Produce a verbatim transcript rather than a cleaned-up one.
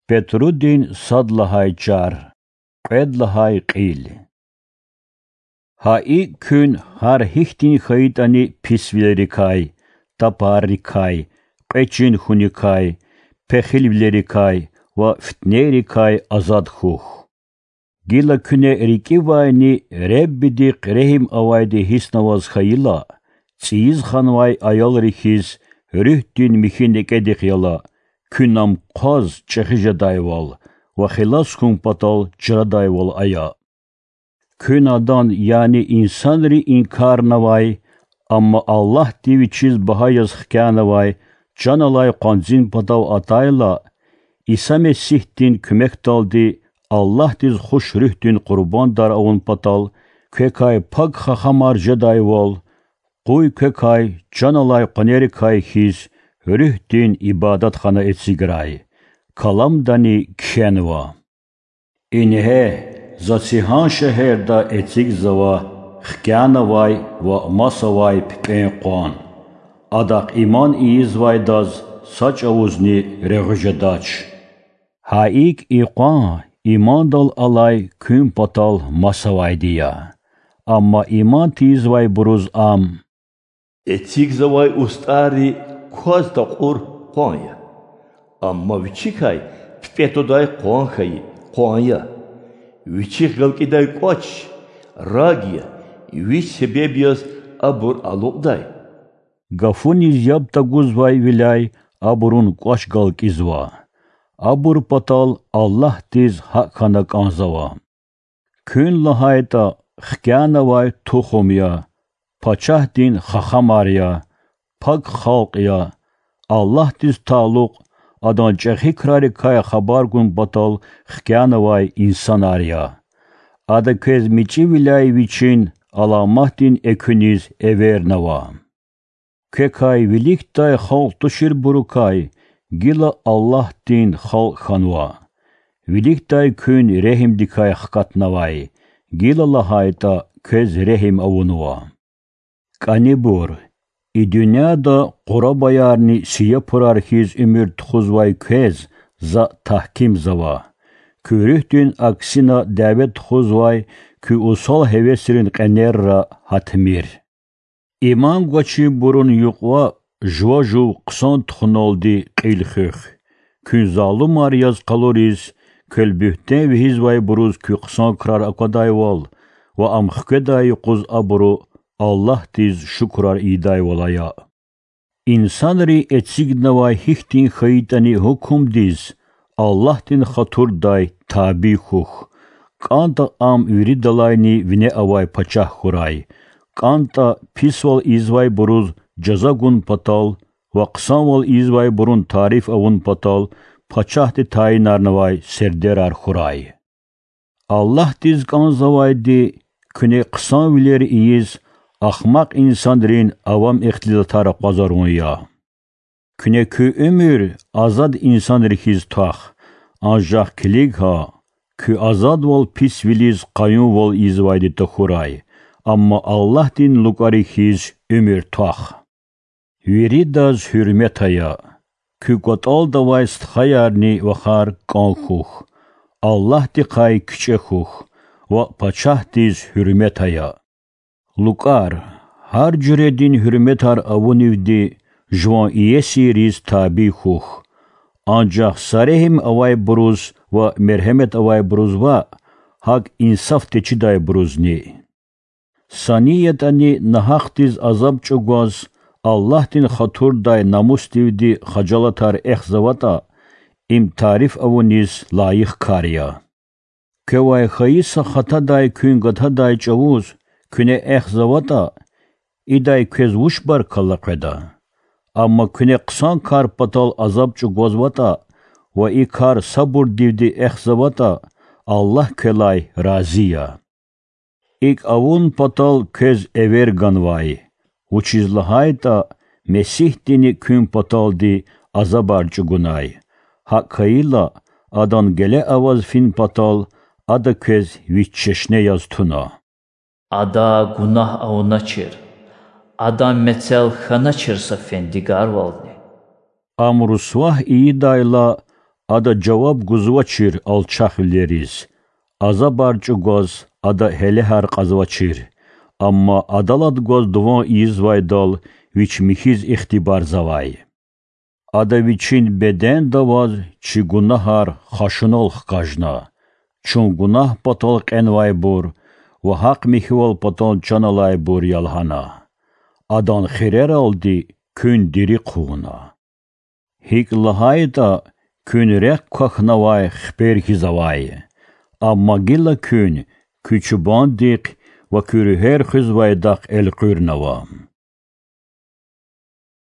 Петрудин сад лагьай чар, кьвед лагьай кьил. Гьа икӀ куьн гьар гьихьтин хьайитӀани писвилерикай, тапаррикай, кьве чин хьуникай, пехилвилерикай ва фитнейрикай азад хьухь. Гила куьне рикӀивайни Реббидихъ регьим авайди гьиснаваз хьайила, цӀийиз ханвай аялри хьиз, руьгьдин михьи некӀедихъ яла, куьн ам хъваз чӀехи жедайвал ва хилас хьун патал чрадайвал ая. Куьн адан, яни инсанри инкарнавай, амма Аллагьди вичиз багьа яз хкянавай чан алай къванцин патав атайла, Иса Месигьдин куьмекдалди Аллагьдиз хуш руьгьдин къурбандар авун патал квекай пак хахамар жедайвал, къуй квекай чан алай къванерикай хьиз руьгьдин ибадатхана эциграй, каламдани кхьенва: Ингье, за цигьан шегьерда эцигзава хкянавай ва масавай пипӀен къван. Адахъ иман ийизвайдаз са чӀавузни регъуь жедач. Гьа икӀ и къван имандал алай куьн патал масавайди я, амма иман тийизвайбуруз ам эцигзавай устӀарри кваз такьур къван я. Амма вичикай пипӀе твадай къван хьайи къван я. Вичихъ галкӀидай кӀвач раг я, вич себеб яз абур алукьдай. Гафуниз яб тагузвайвиляй абурун кӀвач галкӀизва. Абур патал Аллагьдиз гьакӀ хьана кӀанзава. Куьн лагьайтӀа хкянавай тухум я, пачагьдин хахамар я, пак халкь я, Аллагьдиз талукь, Адан чӀехи крарикай хабар гун патал хкянавай инсанар я. Ада квез мичӀивиляй Вичин аламатдин экуьниз эвернава. Квекай виликдай халкь туширбурукай гила Аллагьдин халкь хьанва. Виликдай куьн регьимдикай хкатнавай, гила лагьайтӀа квез регьим авунва. КӀанибур, и дуьньяда къурабаярни сияпурар хьиз уьмуьр тухузвай квез За тагькимзава: куь руьгьдин аксина дяве тухузвай куь усал гьевесрин кьенерра гьатмир. Иман гвачирбурун юкьва жува жув хъсан тухуналди кьил хуьх. Куьн залумар яз къалуриз, квел буьгьтен вегьизвайбуруз куь хъсан крар аквадайвал ва ам хкведай юкъуз абуру Аллагьдиз шукурар ийидайвал ая. Инсанри эцигнавай гьихьтин хьайитӀани гьукумдиз Аллагьдин хатурдай табий хьухь, кӀантӀа ам виридалайни вине авай пачагь хьурай, кӀантӀа писвал ийизвайбуруз жаза гун патал ва хъсанвал ийизвайбурун тариф авун патал пачагьди тайинарнавай сердерар хьурай. Аллагьдиз кӀанзавайди куьне хъсанвилер ийиз, ахмакь инсанрин авам ихтилатар акъвазарун я. Куьне куь уьмуьр азад инсанри хьиз твах, анжах килиг гьа, куь азадвал писвилиз къаюмвал ийизвайди тахьурай, амма Аллагьдин лукӀари хьиз уьмуьр твах. Виридаз гьуьрмет ая. Куь кӀватӀалда авай стхаярни вахар кӀан хьухь, Аллагьдихъай кичӀе хьухь ва пачагьдиз гьуьрмет ая. ЛукӀар, гьар жуьредин гьуьрметар авунивди жуван иесийриз табий хьухь. Анжах са регьим авайбуруз ва мергьемет авайбуруз ваъ, гьакӀ инсаф течидайбурузни. Са ни ятӀани нагьахдиз азаб чӀугваз, Аллагьдин хатурдай намусдивди хажалатар эхзаватӀа, им тариф авуниз лайих кар я. Квевай хьайи са хатадай куьн гатадай чӀавуз куьне эхзаватӀа, идай квез вуч баркалла къведа? Амма куьне хъсан кар патал азаб чӀугвазватӀа ва и кар сабурдивди эхзаватӀа, Аллагь квелай рази я. ИкӀ авун патал квез эвер ганвай, вучиз лагьайтӀа Месигьдини куьн паталди азабар чӀугунай. ГьакӀ хьайила, Адан геле аваз фин патал Ада квез вич чешне яз туна. Ада гунагь авуначир, Адан мецел хьаначир са фендигарвални. Ам русвагь ийидайла, Ада жаваб гузвачир алчахвилериз, азабар чӀугваз ада гьелегьар кьазвачир, амма адалат гваз дуван ийизвайдал вич михьиз ихтибарзавай. Ада вичин беденда аваз чи гунагьар хашунал хкажна, чун гунагь патал кьенвайбур ва гьахъ-михьивал патал чан алайбур я лагьана. Адан хирералди куьн дири хъувуна. ГьикӀ лагьайтӀа, куьн рехъ квахьнавай хипер хьиз авай, амма гила куьн куь чубандихъ ва куь руьгьер хуьзвайдахъ элкъуьрнава.